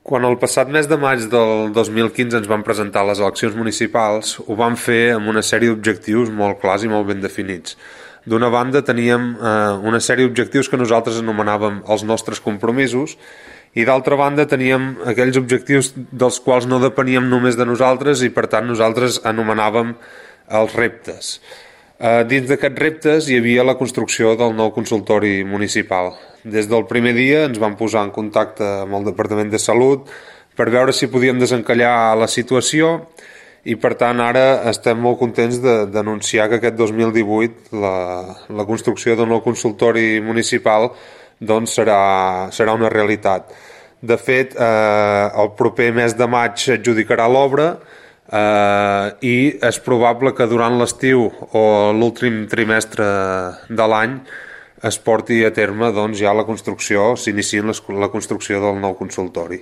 Quan el passat mes de maig del 2015 ens van presentar les eleccions municipals, ho vam fer amb una sèrie d'objectius molt clars i molt ben definits. D'una banda teníem una sèrie d'objectius que nosaltres anomenàvem els nostres compromisos, i d'altra banda teníem aquells objectius dels quals no depeníem només de nosaltres i per tant nosaltres anomenàvem els reptes. Dins d'aquests reptes hi havia la construcció del nou consultori municipal. Des del primer dia ens vam posar en contacte amb el Departament de Salut per veure si podíem desencallar la situació i per tant ara estem molt contents d'anunciar que aquest 2018 la construcció del nou consultori municipal doncs serà una realitat. De fet, el proper mes de maig s'adjudicarà l'obra i és probable que durant l'estiu o l'últim trimestre de l'any es porti a terme doncs, ja la construcció, s'iniciï la construcció del nou consultori.